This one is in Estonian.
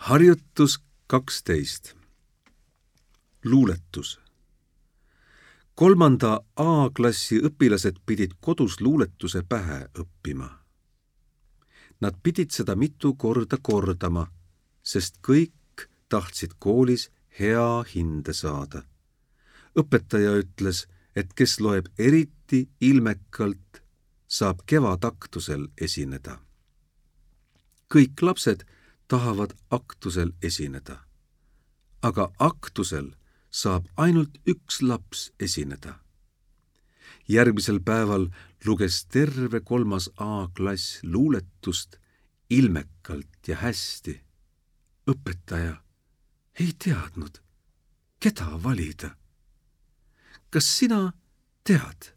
Harjutus 12. Luuletus. 3. A-klassi õpilased pidid kodus luuletuse pähe õppima. Nad pidid seda mitu korda kordama, sest kõik tahtsid koolis hea hinde saada. Õpetaja ütles, et kes loeb eriti ilmekalt, saab kevadaktusel esineda. Kõik lapsed tahavad aktusel esineda, aga aktusel saab ainult üks laps esineda. Järgmisel päeval luges terve 3. A-klass luuletust ilmekalt ja hästi. Õpetaja ei teadnud, keda valida. Kas sina tead?